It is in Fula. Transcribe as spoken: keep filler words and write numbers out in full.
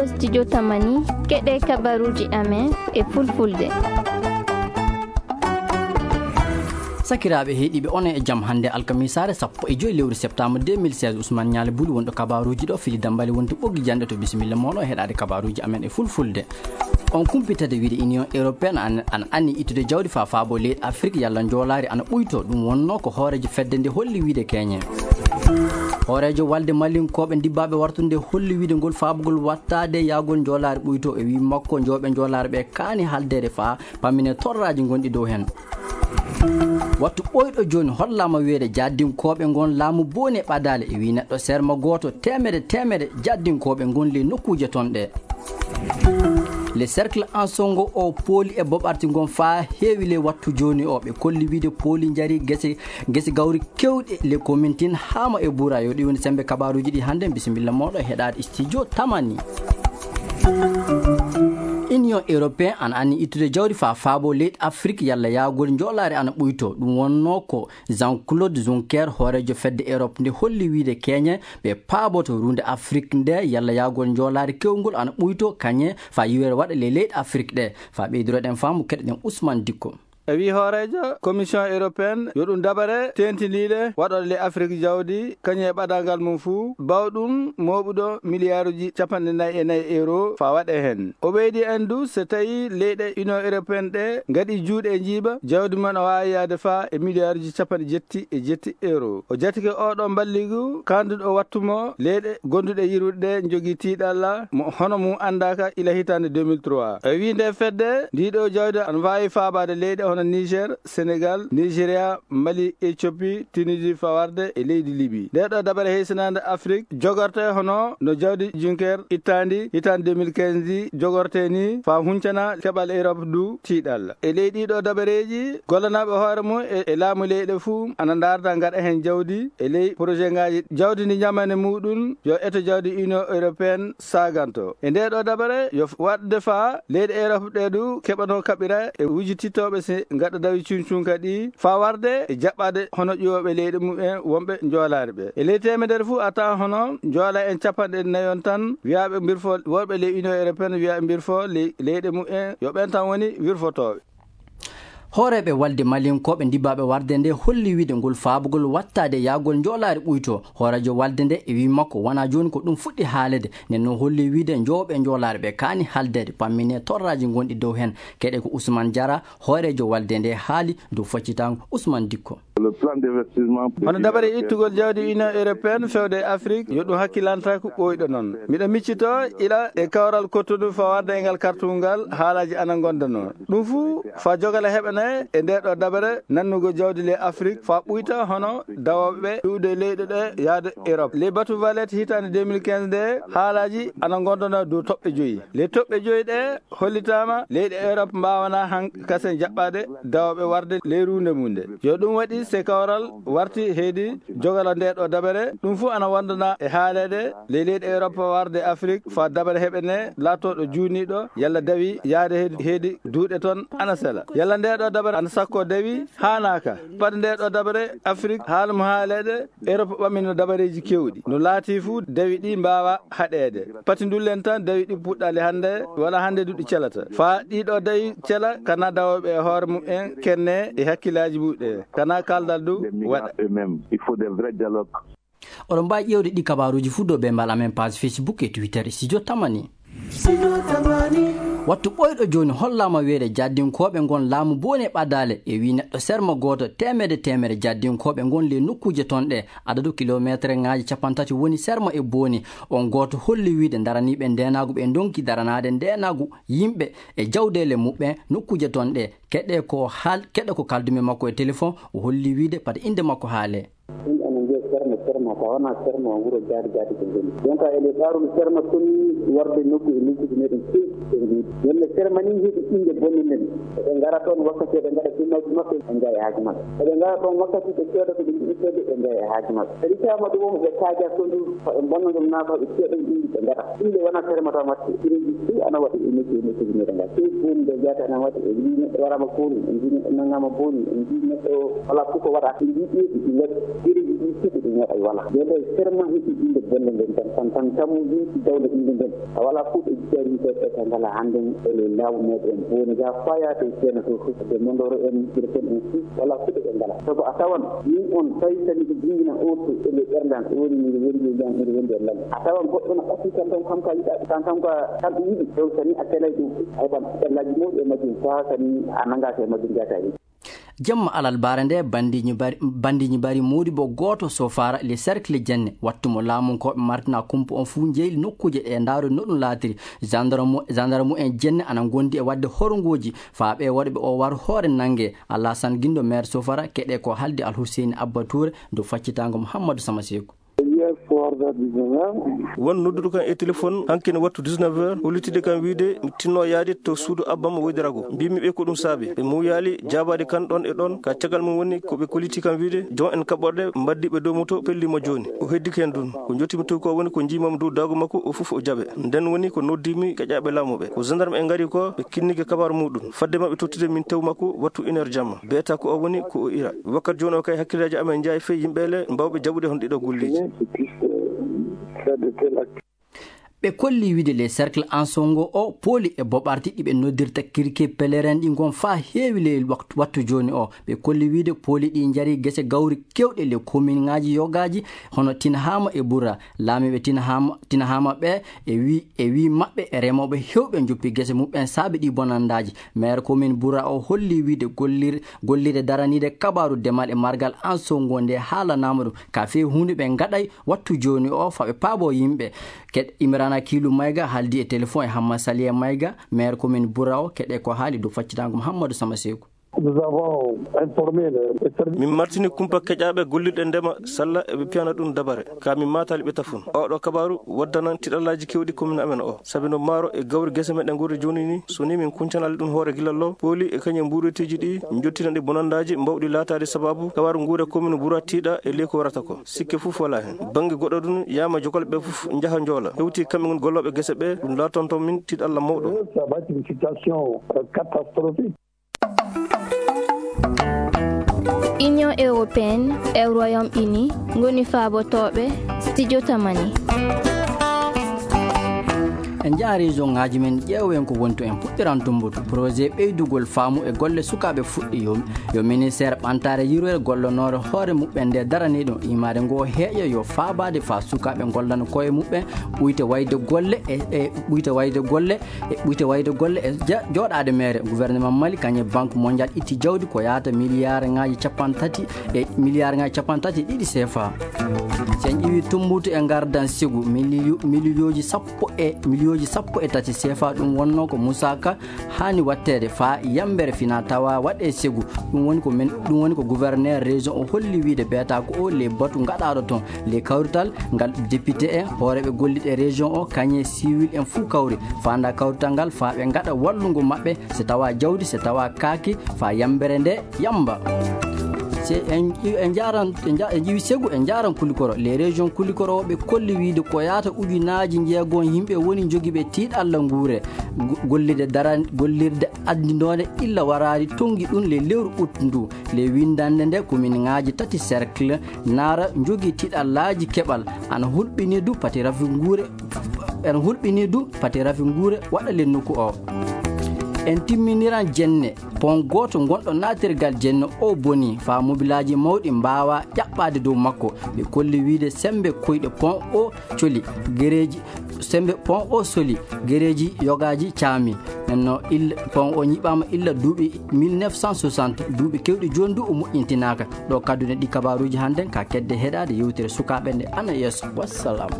Studio Tamani, keɗe kabaruji amen e fulfulde. Sakiraaɓe heɗiiɓe, on e jam. Hannde alkamisaare sappo e joy lewru septembre deux mille seize, Ousmane Ñaale Buli wonɗo kabaruuji ɗo, Fili Dambali wonti ɓoggi janɗe to. Bisimilla mooɗon heɗaade kabaruuji amen e fulfulde. On kumpitade wiide Union Européenne an, an anni ittude jawdi faa faabo leyɗe Afrik yalla njoolaari ana ɓuyto. Ɗum wonno ko hooreejo fedde nde holli wiide keñe. Hooreejo walde Malinkooɓe ndibbaaɓe wartude holli wiide ngol faabugol wattaade yaagol njoolaari ɓuyto. E wii makko, njooɓe njoolaari ɓe kaani haldeede faa pammine torraaji ngonɗi dow heen. Wattu ɓooyɗo jooni hollaama wiyeede jaddinkooɓe ngon laamu booni e ɓadaale. E wii neɗɗo serma gooto, teemede teemede jaddinkooɓe ngon ley nokkuuje ton ɗe. Le Cercle en Songo o pooli e boɓarti ngon faa heewi ley wattu jooni o. Ɓe kolli wiide pooli njari gese, gese gawri keewɗi le commune tin haama e buura. Yo ɗi woni sembe kabaruuji ɗi hannde. Bisimilla mooɗo heɗaade studio Tamani. Union Européenne an anni ittude jawdi faa faabo leyɗe Afrik yalla yaagol njoolaari ana ɓuyto. Ɗum wonno ko Jean-Claude Juncker, hooreejo fedde Europe nde holli wiide keñe ɓe paaboto ruunde Afrik nde yalla yaagol njoolaari kewngol ana ɓuyto kañe faa yiwere waɗa le leyɗe Afrik ɗe. Faa ɓeydiroɗen faamu keɗoɗen Ousmane Dikko. E wii hooreejo Commission Européenne yo ɗum dabare teentiniiɗe waɗoɗe le Afrik jawdi kañum e ɓadalngal mum fuu, bawɗum mooɓuɗo miliyaaruji capanɗe nayi e nayi euro faa waɗe heen. O ɓeydi en du, so tawii leyɗe Union Européenne ɗe ngaɗi juuɗe e njiiba, jawdi mum o waawi yaade faa e miliyaaruji capanɗe jetti e jetti euro. O jatike oo ɗoo mballigu kaanduɗo wattu mo leyɗe gonduɗe yirwude ɗe njogii tiiɗalla mo hono mum anndaaka ila hitaande deux mille trois. E wii nde fedde, ndii ɗoo jawdi ana waawi faabaade leyɗe hono Niger, Sénégal, Nigeria, Mali, Éthiopie, Tunisie, faa warde e leydi Libi. Ndee ɗoo dabare heysinaande Afrik jogortee hono no jawdi Juncker ittaandi hitaande deux mille quinze ndi jogortee ni, faa huncana keɓal Europe du tiiɗalla. E ley ɗii ɗoo dabareeji, gollanaaɓe hoore mum e, e laamu leyɗe fuu ana ndaarda ngaɗa heen jawdi e ley projet ngaaji jawdi ndi ñamane muuɗum yo eto jawdi Union Européenne saaganto. E ndee ɗoo dabare yo f-, waɗde faa leyɗe Europe ɗee du keɓanoo kaɓira e wujitittooɓe si ngaɗa dawi cuncunka ɗi faa warde e jaɓɓaade hono ƴuwooɓe leyɗe mum en wonɓe njoolaari ɓe. E ley teemedere fuu a tawan hono njoolaa en capanɗe nayon tan wiyaaɓe mbirfo, worɓe ley Union Européenne wiyaaɓe mbirfo ley, leyɗe mum en yo ɓen tan woni wirfotooɓe. Hooreeɓe walde Malinkooɓe ndibbaaɓe warde nde holli wiide ngol faabugol wattaade yaagol njoolaari ɓuyto. Hooreejo walde nde e wii makko wonaa jooni ko ɗum fuɗɗi haaleede, nden no holli wiide njooɓe njoolaari ɓe kaani haldeede pammine torraaji ngonɗi dow heen. Keɗe ko Ousmane Diarra, hooreejo walde nde haali dow faccitaango. Ousmane Dikko. Le plan d'investissement de Hono dabare ittugol jawdi Union Européenne fewde e Afrik, yo ɗum hakkilantaako ɓooyɗo noon. Miɗo miccitoo ila e kawral Cotonou faa warde e ngal kartungal haalaaji ana ngondanoo. Ɗum fuu faa jogala heɓana e ndee ɗoo dabare nannugol jawdi ley Afrik faa ɓuyta hono dawooɓe iwde leyɗe ɗe yaade Europe. Ley batu Valette hitaande deux mille quinze nde haalaaji ana ngondanoo dow toɓɓe joyi. Ley toɓɓe joyi ɗe hollitaama leyɗe Europe mbaawanaa han kasen jaɓɓaade dawooɓe warde ley ruunde mum nde. Yo ɗum waɗi se kawral warti heedi jogala ndee ɗoo dabare, ɗum fuu ana wondana e haaleede ley leyɗe Europe warde Afrik faa dabare heɓe ne laatooɗo juuniiɗo yalla dawi yaade heedi, heedi duuɗe ton ana sela. Yalla ndee ɗoo dabare ana sakko dawi haanaaka. Pati ndee ɗoo dabare Afrik haala mo haaleede Europe ɓamino dabareeji keewɗi. No laatii fuu, dawi ɗi mbaawa haɗeede. Pati ndullen tan, dawi ɗi puɗɗaali hannde, wala hannde du ɗi celata. Faa ɗii ɗoo dawi cela, kana dawooɓe e hoore mum en kenne e hakkillaaji mum ɗe. Kana kaaldal du waɗa. Eux-mêmes. Il faut des vrais dialogues. Oɗon mbaawi ƴeewde ɗi kabaaruuji fuu dow bembal amen page Facebook e Twitter e Studio Tamani. Wattu ɓooyɗo jooni hollaama wiyeede jaddinkooɓe ngon laamu booni e ɓadaale. E wii neɗɗo serma gooto teemedde teemedde jaddinkooɓe ngon ley nokkuuje ton ɗe. Adadu kilomeeterŋaaji cappanɗe tati woni serma e booni. On gooto holli wiide daraniiɓe ndeenaagu ɓe ndonki daranaade ndeenaagu yimɓe e jawdeele muɓɓen nokkuuje ton ɗe. Keɗe ko haal-, keɗe ko kaldumi makko e telefon, o holli wiide pati innde makko haalee. Ɗum ene wiya Serma, Serma, ka wona Serma, wuro Jaadi Jaadi ko ngoni. Donc, ele faarul Serma koni warde nokku e nokkuuji meɗen keewɗi ɓe mbiyi. Wonde Serma ni heɓi innde bonde nden. Eɓe ngara ɗon wakkati eɓe ngaɗa dummaaji maɓɓe, ɓe njaha e haaju maɓɓe. Eɓe ngara ɗon wakkati ɓe cooda ko ɓe njiɗi soodde, ɓe njaha e haaju maɓɓe. Kadi tawama ɗum on ɓe kaaja kondu, ko ɓe mbonna ɗum naa ko ɓe cooda ɗum ɓe ngaɗa. Ɗum nde wona Serma tan waɗte. Ireji fuu ana waɗi e nokku e nokkuuji meɗen ngal. Ɗum woni nde jeyata ana waɗi e mbiyi neɗɗo waraama kooni, en mbiyi neɗɗo nangama booni, en mbiyi neɗɗo wala fof ko waɗa. En mbiyi ɗi ɗi waɗi. Ireji ɗi fuɗɗi ɗum waɗa wala. Nde ɗo Serma heɓi innde bonde nden tan, tan, tan, tan mo yimɓe dawle innde nden. A wala kuuɗe jari ɓe ɓe ngala hannde e ley laamu meɗen. Woni ga faya to ceena to fof de mondoro en irken en fof wala kuuɗe ɓe ngala. Sabu a tawan min on tawi kadi ɓe jingina o to e ley ɓerdan woni min wondi e jam min wondi e lal. A tawan goɗɗo no ɓatti kan tan kam ka yiɗa kan kam ka kam ɓe yiɗi. Ɗum sani a telay ɗum a heɓan ɓellaji mawɗi e majjum fa sani a nangaka e majjum jataɗi. Jemma alal bare nde bandiiji mbari, bandiiji mbari mawɗi bo gooto Sofara le cercle Jenne. Wattu mo laamunkooɓe martina kumpa on fuu njeyli nokkuuje ɗe ndaaro no ɗum laatiri. Gendarme, gendarme en Jenne ana ngondi e waɗde horngooji faa ɓe waɗɓe o war hoore nannge. Alassane Gindo, maire Sofara, keɗe ko haldi Alhusseini Abba Touré dow faccitaango Muhammadu Sama Seeku. Hier soir vers dix-neuf heures. Won nodduɗo kan e téléphone hanki no wattu dix-neuf heures, hollitide kan wiide mi tinno yaade to suudu Abba mo woyde rago. Mbimi ɓe ko ɗum saabi. Ɓe muuyaali jaabaade kan ɗon e ɗon. Ka caggal mum woni ko ɓe kolliti kan wiide, jon en kaɓɓorɗe mbaddi ɓe dow moto pelli mo jooni. O heddi ken ɗum. Ko jottimi to ko woni ko njiimam dow daago makko o fof o jaɓe. Nden woni ko noddimi gaƴaaɓe laamu ɓe. Ko gendarme en ngari ko, ɓe kinnike kabaaru muɗum. Fadde maɓɓe tottude min tew makko wattu une heure jamma. Beeta ko o woni ko o ira. Wakkati jooni o kay hakkillaaji amen njaay fey yimɓe le mbawɓe jaɓude hon ɗiɗo golleeji. Ɓe kolli wiide le cercle Ansongo o pooli e boɓarti ɗi ɓe noddirta kirke pèlerin ɗi ngon faa heewi le waktu, wattu jooni o. Ɓe kolli wiide pooli ɗi njari gese gawri kewɗe le kominŋaaji yogaaji hono Tinhama e Bura. Laamiiɓe Tinhama, Tinhama ɓe e wi, e wi maɓɓe e remooɓe hewɓe njoppi gese muɓɓen saabe ɗi bonandaaji. Maire commune Bura o holli wiide gollir, gollirde daraniide kabaaru demal e margal Ansongo nde haalanaama ɗum. Ka fee huunde ɓe ngaɗay wattu jooni o faa ɓe paabo yimɓe. Keɗ Imrana Kiilu Mayga haaldi e téléphone e Hamma Saliya Mayga, maire commune Bura o, keɗe ko haali dow faccitaango Muhammadu Sama Seeku. Nous avons informé le, le service. Min martini kumpa keƴaaɓe gollirɗe ndema salla eɓe piyana ɗum dabare. Ka min maataali ɓe tafun. Oɗo kabaaru waddanan tiɗallaaji kewɗi commune amen o. Sabi no maaro e gawri gese meɗen ngorri jooni ni, so ni min kuncanali ɗum hoore gila lo, pooli e kañum mbuureteeji ɗi, njottina ɗi bonandaaji mbawɗi laataade sababu kabaaru nguure commune Bura tiiɗa e ley ko warata ko. Sikke fof wala hen. Bannge goɗɗo ɗum, yaama jokal ɓe fof njaha njoola. Hewti kamɓe ngon gollooɓe gese ɓe, ɗum laatanto min tiɗalla mawɗo. Ça va être une situation, euh, catastrophique. Union européenne e Royaume-Uni ngoni faabotooɓe studio Tamani. En njaha région ŋaaji men, ƴeewen ko woni to en puɗɗiran tumbutu. Projet ɓeydugol faamu e golle sukaaɓe fuɗɗi yo, yo ministère ɓantaare yurwere gollonoore hoore muɓɓen nde daranii ɗum imaade ngo heeƴa yo faabaade faa sukaaɓe ngollana koye muɓɓen ɓuyte wayde golle e, e ɓuyte wayde golle e ɓuyte wayde golle e ja-, jooɗaade meere. Gouvernement Mali kañum e Banque Mondiale itti jawdi ko yahata miliyaarŋaaji cappanɗe tati e miliyaarŋaaji cappanɗe tati e ɗiɗi C F A. Si en ƴeewi tumbutu e ngardan sigu miliyu-, miliyooji sappo e miliyooji sappo e tati C F A, ɗum wonno ko Moussa Ka haani watteede faa yambere fina tawa waɗe sigu. Ɗum woni ko men, ɗum woni ko gouverneur région o holli wiide beeta ko o le batu ngaɗaaɗo toon. Le kawrital ngal député en, hooreeɓe golliiɓe région o, kañe civil en fuu kawri. Faanda kawrital ngal faa ɓe ngaɗa wallugo maɓɓe, so tawa jawdi, so tawa kaaki, faa yambere nde yamba. Se en, en njaaran, en nja-, en ƴeewi segu, en njaaran Kulikoro. Les régions Kulikoro ɓe kolli wiide ko yaata ujunaaji njeegom yimɓe woni jogiiɓe tiiɗalla nguure. Go-, gollirde daran-, gollirde addinoonde illa waraari tonngi ɗum le lewru août ndu. Le winndannde nde kominŋaaji tati cercle naara njogii tiɗallaaji keɓal ana hulɓinii du pati rafi nguure, ana hulɓinii du pati rafi nguure waɗa le nokku o. En timminiran jenne pont gooto ngonɗo naatirgal jenne o bonii faa mobilaaji mawɗi mbaawaa ƴaɓɓaade dow makko. Ɓe kolli wiide semmbe koyɗe pont o coli gereeji, semmbe pont o soli gereeji yogaaji caami. Nenno illa, pont o ñiɓaama illa duuɓi mille neuf cent soixante, duuɓi kewɗi jooni du o moƴƴintinaaka. Ɗo kaddune ɗi kabaaruuji hannden ka kedde heɗaade yewtere sukaaɓe nde ana yeeso. Wassalam.